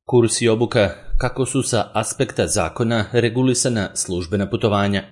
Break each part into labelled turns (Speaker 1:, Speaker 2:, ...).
Speaker 1: Kurs i obuka kako su sa aspekta zakona regulisana službena putovanja.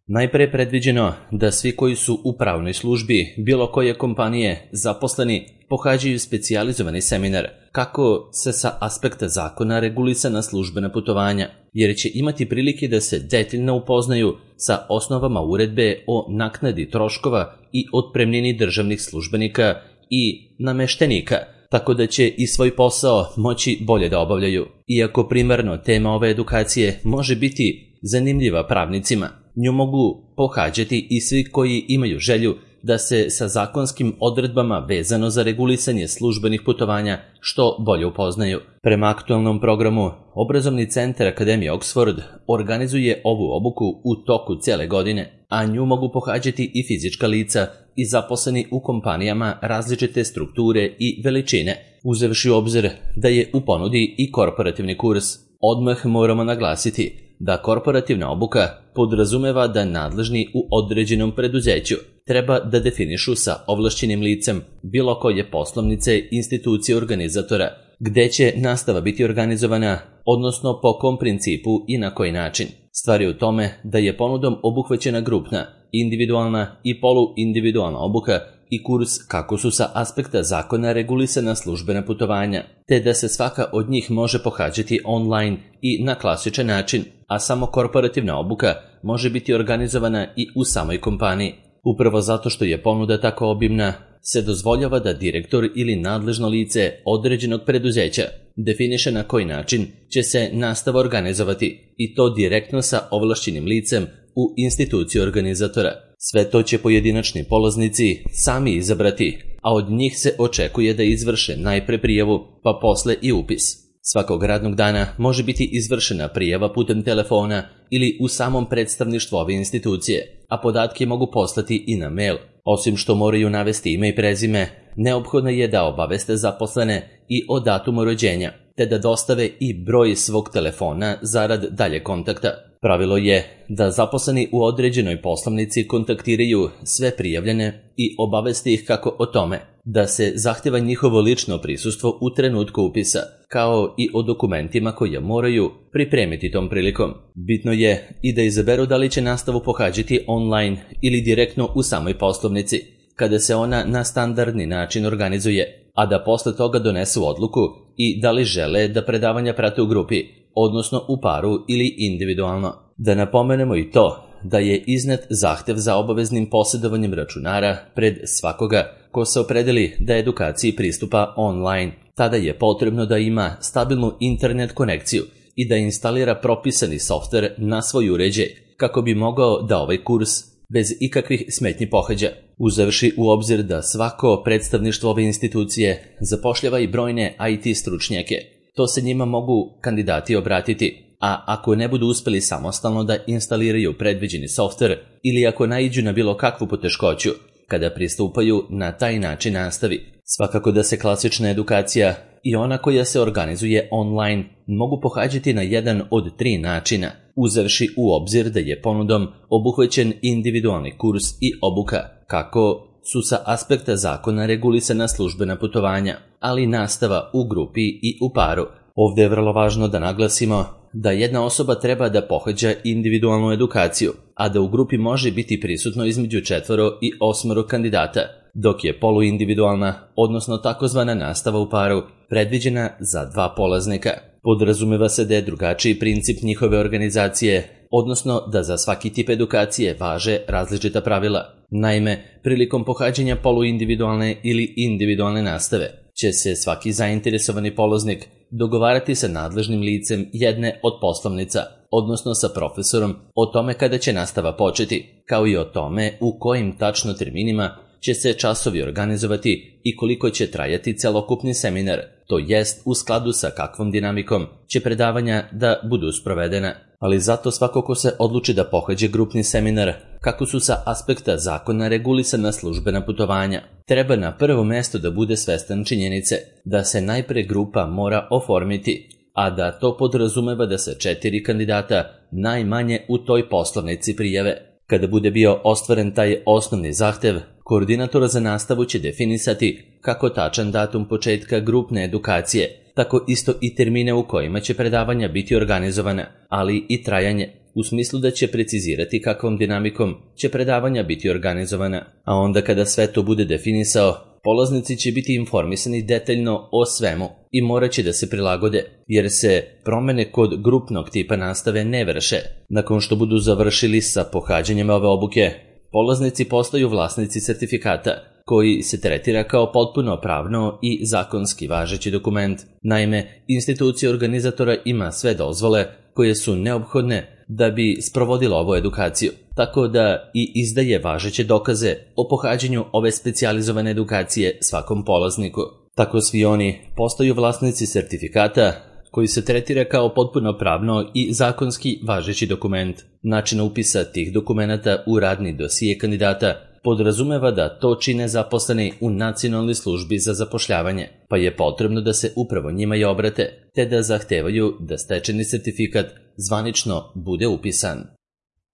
Speaker 1: Najpre je predviđeno da svi koji su u pravnoj službi bilo koje kompanije zaposleni pohađaju specijalizovani seminar kako se sa aspekta zakona regulisana službena putovanja, jer će imati prilike da se detaljno upoznaju sa osnovama uredbe o naknadi troškova i otpremnini državnih službenika i nameštenika, tako da će i svoj posao moći bolje da obavljaju. Iako primarno tema ove edukacije može biti zanimljiva pravnicima, nju mogu pohađati i svi koji imaju želju da se sa zakonskim odredbama vezano za regulisanje službenih putovanja što bolje upoznaju. Prema aktualnom programu, Obrazovni centar Akademije Oxford organizuje ovu obuku u toku cele godine, a nju mogu pohađati i fizička lica i zaposleni u kompanijama različite strukture i veličine, uzevši u obzir da je u ponudi i korporativni kurs. Odmah moramo naglasiti da korporativna obuka podrazumeva da nadležni u određenom preduzeću treba da definišu sa ovlašćenim licem bilo koje poslovnice, institucije organizatora, gde će nastava biti organizovana, odnosno po kom principu i na koji način. Stvar je u tome da je ponudom obuhvaćena grupna, individualna i poluindividualna obuka i kurs kako su sa aspekta zakona regulisana službena putovanja, te da se svaka od njih može pohađati online i na klasičan način, a samo korporativna obuka može biti organizovana i u samoj kompaniji. Upravo zato što je ponuda tako obimna, se dozvoljava da direktor ili nadležno lice određenog preduzeća definiše na koji način će se nastava organizovati, i to direktno sa ovlašćenim licem u instituciji organizatora. Sve to će pojedinačni polaznici sami izabrati, a od njih se očekuje da izvrše najpre prijavu, pa posle i upis. Svakog radnog dana može biti izvršena prijava putem telefona ili u samom predstavništvu ove institucije, a podatke mogu poslati i na mail. Osim što moraju navesti ime i prezime, neophodno je da obaveste zaposlene i o datumu rođenja, te da dostave i broj svog telefona zarad dalje kontakta. Pravilo je da zaposleni u određenoj poslovnici kontaktiraju sve prijavljene i obaveste ih kako o tome da se zahteva njihovo lično prisustvo u trenutku upisa, kao i o dokumentima koje moraju pripremiti tom prilikom. Bitno je i da izaberu da li će nastavu pohađati online ili direktno u samoj poslovnici, kada se ona na standardni način organizuje, a da posle toga donesu odluku i da li žele da predavanja prate u grupi, odnosno u paru ili individualno. Da napomenemo i to da je iznet zahtev za obaveznim posjedovanjem računara pred svakoga ko se opredeli da edukaciji pristupa online. Tada je potrebno da ima stabilnu internet konekciju i da instalira propisani softver na svoj uređaj kako bi mogao da ovaj kurs bez ikakvih smetnji pohađa. Uzevši u obzir da svako predstavništvo ove institucije zapošljava i brojne IT stručnjake, to se njima mogu kandidati obratiti, a ako ne budu uspeli samostalno da instaliraju predviđeni softver ili ako naiđu na bilo kakvu poteškoću kada pristupaju na taj način nastavi. Svakako da se klasična edukacija i ona koja se organizuje online mogu pohađati na jedan od 3 načina, uzevši u obzir da je ponudom obuhvaćen individualni kurs i obuka kako su sa aspekta zakona regulisana službena putovanja, ali nastava u grupi i u paru. Ovdje je vrlo važno da naglasimo da jedna osoba treba da pohađa individualnu edukaciju, a da u grupi može biti prisutno između 4 i 8 kandidata, dok je poluindividualna, odnosno takozvana nastava u paru, predviđena za 2 polaznika. Podrazumeva se da je drugačiji princip njihove organizacije, odnosno da za svaki tip edukacije važe različita pravila. Naime, prilikom pohađanja poluindividualne ili individualne nastave će se svaki zainteresovani polaznik dogovarati sa nadležnim licem jedne od poslovnica, odnosno sa profesorom, o tome kada će nastava početi, kao i o tome u kojim tačno terminima će se časovi organizovati i koliko će trajati celokupni seminar, to jest u skladu sa kakvom dinamikom će predavanja da budu sprovedena. Ali zato svako ko se odluči da pohađe grupni seminar, kako su sa aspekta zakona regulisana službena putovanja, treba na prvo mesto da bude svestan činjenice da se najpre grupa mora oformiti, a da to podrazumeva da se 4 kandidata najmanje u toj poslovnici prijave. Kada bude bio ostvaren taj osnovni zahtev, koordinator za nastavu će definisati kako tačan datum početka grupne edukacije, tako isto i termine u kojima će predavanja biti organizovana, ali i trajanje, u smislu da će precizirati kakvom dinamikom će predavanja biti organizovana, a onda kada sve to bude definisao, polaznici će biti informisani detaljno o svemu i morat će da se prilagode, jer se promene kod grupnog tipa nastave ne vrše. Nakon što budu završili sa pohađanjem ove obuke, polaznici postaju vlasnici sertifikata, koji se tretira kao potpuno pravno i zakonski važeći dokument. Naime, institucija organizatora ima sve dozvole koje su neophodne da bi sprovodila ovu edukaciju, tako da i izdaje važeće dokaze o pohađanju ove specijalizovane edukacije svakom polazniku. Tako svi oni postaju vlasnici sertifikata koji se tretira kao potpuno pravno i zakonski važeći dokument. Način upisa tih dokumenata u radni dosije kandidata podrazumeva da to čine zaposleni u Nacionalnoj službi za zapošljavanje, pa je potrebno da se upravo njima i obrate, te da zahtevaju da stečeni sertifikat zvanično bude upisan.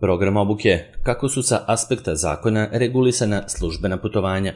Speaker 1: Program obuke, kako su sa aspekta zakona regulisana službena putovanja.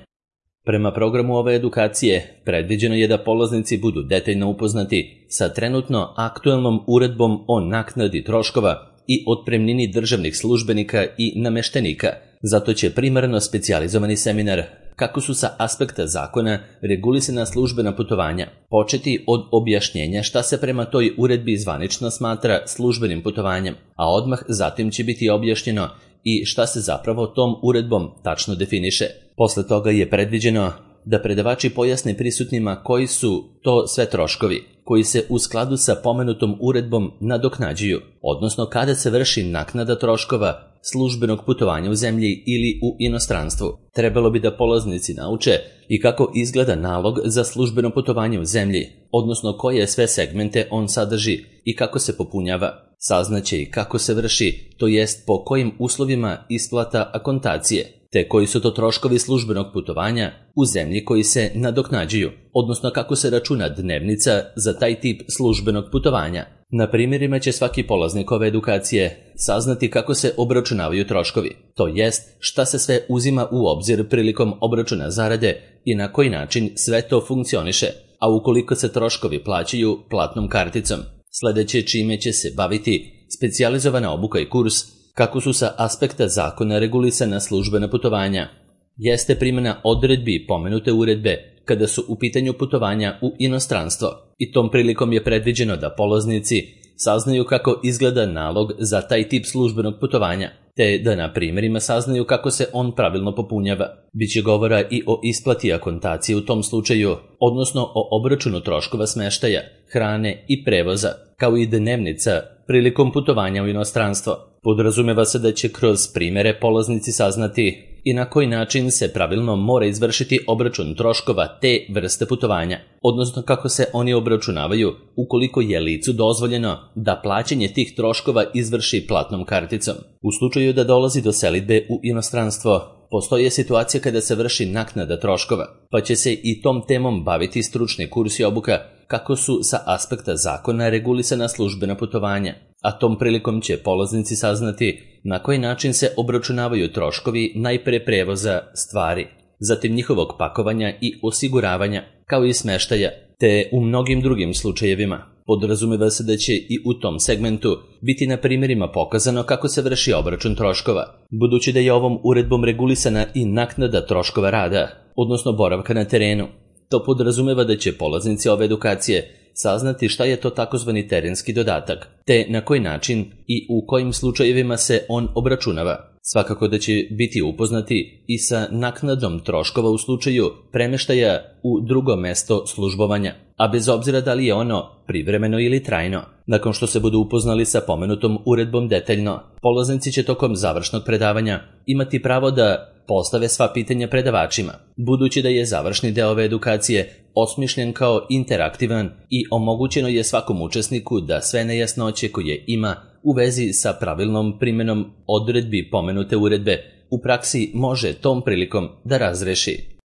Speaker 1: Prema programu ove edukacije, predviđeno je da polaznici budu detaljno upoznati sa trenutno aktuelnom uredbom o naknadi troškova i otpremnini državnih službenika i nameštenika. Zato će primarno specijalizovani seminar, kako su sa aspekta zakona regulisana službena putovanja, početi od objašnjenja šta se prema toj uredbi zvanično smatra službenim putovanjem, a odmah zatim će biti objašnjeno i šta se zapravo tom uredbom tačno definiše. Posle toga je predviđeno da predavači pojasne prisutnima koji su to sve troškovi, koji se u skladu sa pomenutom uredbom nadoknađuju, odnosno kada se vrši naknada troškova službenog putovanja u zemlji ili u inostranstvu. Trebalo bi da polaznici nauče i kako izgleda nalog za službeno putovanje u zemlji, odnosno koje sve segmente on sadrži i kako se popunjava. Saznaće i kako se vrši, to jest po kojim uslovima isplata akontacije, te koji su to troškovi službenog putovanja u zemlji koji se nadoknađuju, odnosno kako se računa dnevnica za taj tip službenog putovanja. Na primjerima će svaki polaznik ove edukacije saznati kako se obračunavaju troškovi, to jest šta se sve uzima u obzir prilikom obračuna zarade i na koji način sve to funkcioniše, a ukoliko se troškovi plaćaju platnom karticom. Sledeće čime će se baviti specijalizovana obuka i kurs, kako su sa aspekta zakona regulisana službena putovanja, jeste primjena odredbi pomenute uredbe kada su u pitanju putovanja u inostranstvo i tom prilikom je predviđeno da polaznici saznaju kako izgleda nalog za taj tip službenog putovanja, te da na primjerima saznaju kako se on pravilno popunjava. Biće govora i o isplati akontacije u tom slučaju, odnosno o obračunu troškova smeštaja, hrane i prevoza, kao i dnevnica prilikom putovanja u inostranstvo. Podrazumeva se da će kroz primjere polaznici saznati i na koji način se pravilno mora izvršiti obračun troškova te vrste putovanja, odnosno kako se oni obračunavaju ukoliko je licu dozvoljeno da plaćanje tih troškova izvrši platnom karticom. U slučaju da dolazi do selidbe u inostranstvo, postoje situacija kada se vrši naknada troškova, pa će se i tom temom baviti stručni kurs i obuka, kako su sa aspekta zakona regulisana službena putovanja, a tom prilikom će polaznici saznati na koji način se obračunavaju troškovi najpre prevoza stvari, zatim njihovog pakovanja i osiguravanja, kao i smeštaja, te u mnogim drugim slučajevima. Podrazumeva se da će i u tom segmentu biti na primjerima pokazano kako se vrši obračun troškova, budući da je ovom uredbom regulisana i naknada troškova rada, odnosno boravka na terenu. To podrazumeva da će polaznici ove edukacije saznati šta je to takozvani terenski dodatak, te na koji način i u kojim slučajevima se on obračunava. Svakako da će biti upoznati i sa naknadom troškova u slučaju premeštaja u drugo mesto službovanja, a bez obzira da li je ono privremeno ili trajno. Nakon što se budu upoznali sa pomenutom uredbom detaljno, polaznici će tokom završnog predavanja imati pravo da postave sva pitanja predavačima, budući da je završni deo ove edukacije osmišljen kao interaktivan i omogućeno je svakom učesniku da sve nejasnoće koje ima u vezi sa pravilnom primjenom odredbi pomenute uredbe u praksi može tom prilikom da razreši.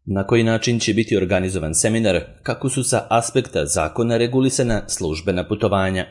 Speaker 1: Na koji način će biti organizovan seminar, kako su sa aspekta zakona regulisana službena putovanja.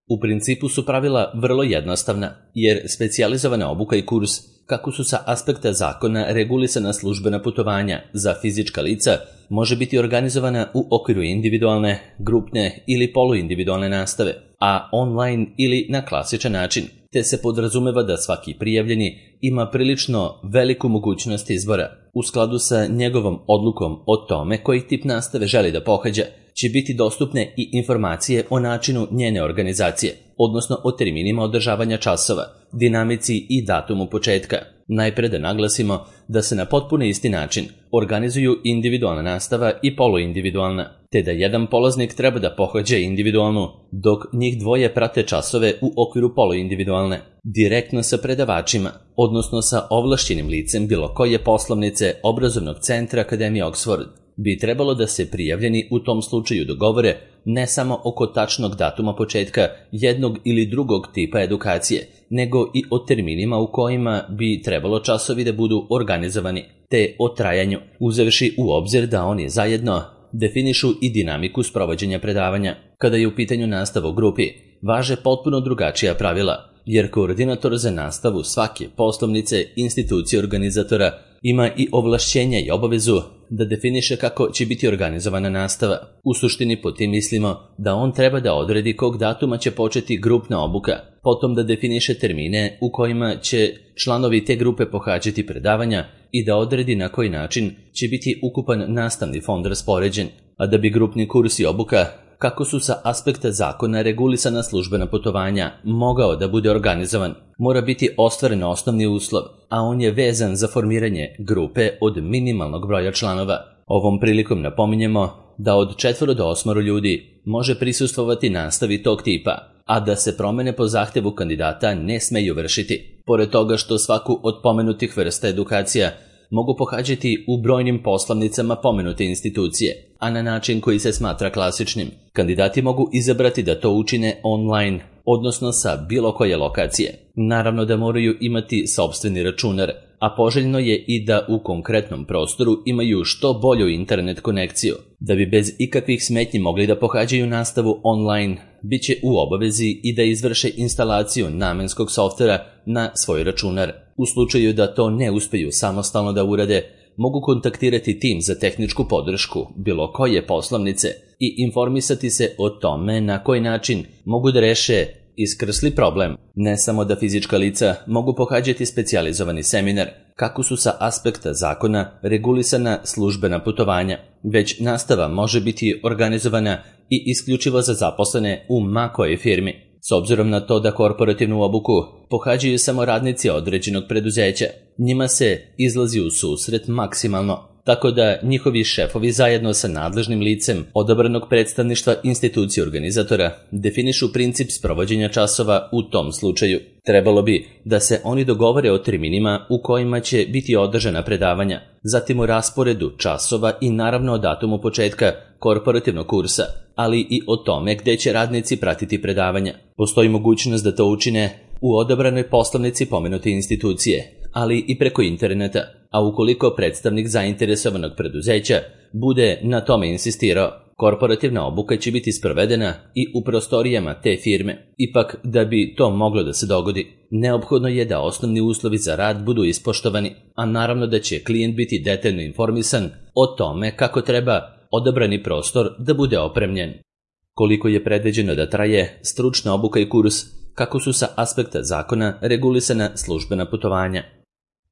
Speaker 1: U principu su pravila vrlo jednostavna, jer specijalizovana obuka i kurs, kako su sa aspekta zakona regulisana službena putovanja za fizička lica može biti organizovana u okviru individualne, grupne ili poluindividualne nastave, a online ili na klasičan način, te se podrazumeva da svaki prijavljeni ima prilično veliku mogućnost izbora. U skladu sa njegovom odlukom o tome koji tip nastave želi da pohađa, će biti dostupne i informacije o načinu njene organizacije, odnosno o terminima održavanja časova, dinamici i datumu početka. Najpre da naglasimo da se na potpuno isti način organizuju individualna nastava i poluindividualna, te da jedan polaznik treba da pohađa individualnu, dok njih dvoje prate časove u okviru poluindividualne, direktno sa predavačima, odnosno sa ovlašćenim licem bilo koje poslovnice obrazovnog centra Akademije Oxford. Bi trebalo da se prijavljeni u tom slučaju dogovore ne samo oko tačnog datuma početka jednog ili drugog tipa edukacije, nego i o terminima u kojima bi trebalo časovi da budu organizovani, te o trajanju, uzevši u obzir da oni zajedno definišu i dinamiku sprovođenja predavanja. Kada je u pitanju nastava u grupi, važe potpuno drugačija pravila, jer koordinator za nastavu svake poslovnice institucije organizatora ima i ovlašćenja i obavezu da definiše kako će biti organizovana nastava. U suštini pod tim mislimo da on treba da odredi kog datuma će početi grupna obuka, potom da definiše termine u kojima će članovi te grupe pohađati predavanja i da odredi na koji način će biti ukupan nastavni fond raspoređen, a da bi grupni kurs i obuka, kako su sa aspekta zakona regulisana službena putovanja, mogao da bude organizovan, mora biti ostvaren osnovni uslov, a on je vezan za formiranje grupe od minimalnog broja članova. Ovom prilikom napominjemo da od 4 do 8 ljudi može prisustvovati nastavi tog tipa, a da se promene po zahtevu kandidata ne smeju vršiti. Pored toga što svaku od pomenutih vrsta edukacija mogu pohađati u brojnim poslovnicama pomenute institucije, a na način koji se smatra klasičnim. Kandidati mogu izabrati da to učine online, odnosno sa bilo koje lokacije. Naravno da moraju imati sopstveni računar, a poželjno je i da u konkretnom prostoru imaju što bolju internet konekciju. Da bi bez ikakvih smetnji mogli da pohađaju nastavu online, bit će u obavezi i da izvrše instalaciju namenskog softvera na svoj računar. U slučaju da to ne uspeju samostalno da urade, mogu kontaktirati tim za tehničku podršku bilo koje poslovnice i informisati se o tome na koji način mogu da reše iskrsli problem. Ne samo da fizička lica mogu pohađati specijalizovani seminar, kako su sa aspekta zakona regulisana službena putovanja, već nastava može biti organizovana i isključivo za zaposlene u ma kojoj firmi. S obzirom na to da korporativnu obuku pohađaju samo radnici određenog preduzeća, njima se izlazi u susret maksimalno, tako da njihovi šefovi zajedno sa nadležnim licem odabranog predstavništva institucije organizatora definišu princip sprovođenja časova u tom slučaju. Trebalo bi da se oni dogovore o terminima u kojima će biti održana predavanja, zatim o rasporedu časova i naravno o datumu početka korporativnog kursa, ali i o tome gde će radnici pratiti predavanja. Postoji mogućnost da to učine u odabranoj poslovnici pomenute institucije, ali i preko interneta, a ukoliko predstavnik zainteresovanog preduzeća bude na tome insistirao, korporativna obuka će biti sprovedena i u prostorijama te firme. Ipak, da bi to moglo da se dogodi, neophodno je da osnovni uslovi za rad budu ispoštovani, a naravno da će klijent biti detaljno informisan o tome kako treba odabrani prostor da bude opremljen. Koliko je predviđeno da traje stručna obuka i kurs, kako su sa aspekta zakona regulisana službena putovanja.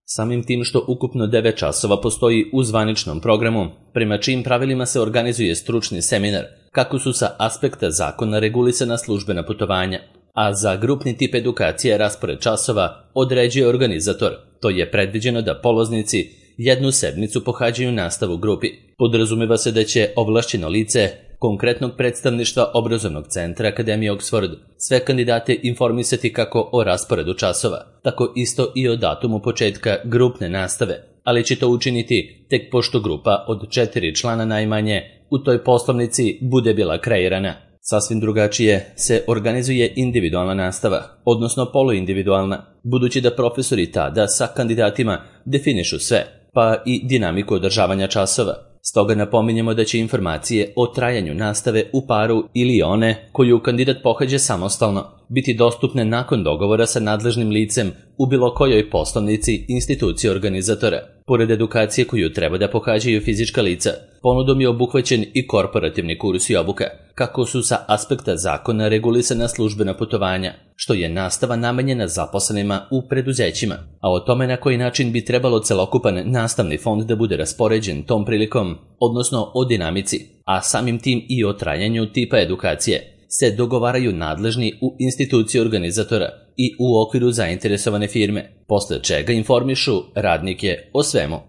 Speaker 1: Samim tim što ukupno 9 časova postoji u zvaničnom programu, prema čijim pravilima se organizuje stručni seminar, kako su sa aspekta zakona regulisana službena putovanja, a za grupni tip edukacije raspored časova određuje organizator. To je predviđeno da polaznici jednu sedmicu pohađaju nastavu u grupi. Podrazumeva se da će ovlašćeno lice konkretnog predstavništva obrazovnog centra Akademije Oxford sve kandidate informisati kako o rasporedu časova, tako isto i o datumu početka grupne nastave, ali će to učiniti tek pošto grupa od 4 člana najmanje u toj poslovnici bude bila kreirana. Sasvim drugačije se organizuje individualna nastava, odnosno poluindividualna, budući da profesori tada sa kandidatima definišu sve, pa i dinamiku održavanja časova. Stoga napominjemo da će informacije o trajanju nastave u paru ili one koju kandidat pohađa samostalno biti dostupne nakon dogovora sa nadležnim licem u bilo kojoj poslovnici institucije organizatora. Pored edukacije koju treba da pohađaju fizička lica, ponudom je obuhvaćen i korporativni kurs i obuka, kako su sa aspekta zakona regulisana službena putovanja, što je nastava namenjena zaposlenima u preduzećima, a o tome na koji način bi trebalo celokupan nastavni fond da bude raspoređen tom prilikom, odnosno o dinamici, a samim tim i o trajanju tipa edukacije, se dogovaraju nadležni u instituciji organizatora i u okviru zainteresovane firme, posle čega informišu radnike o svemu.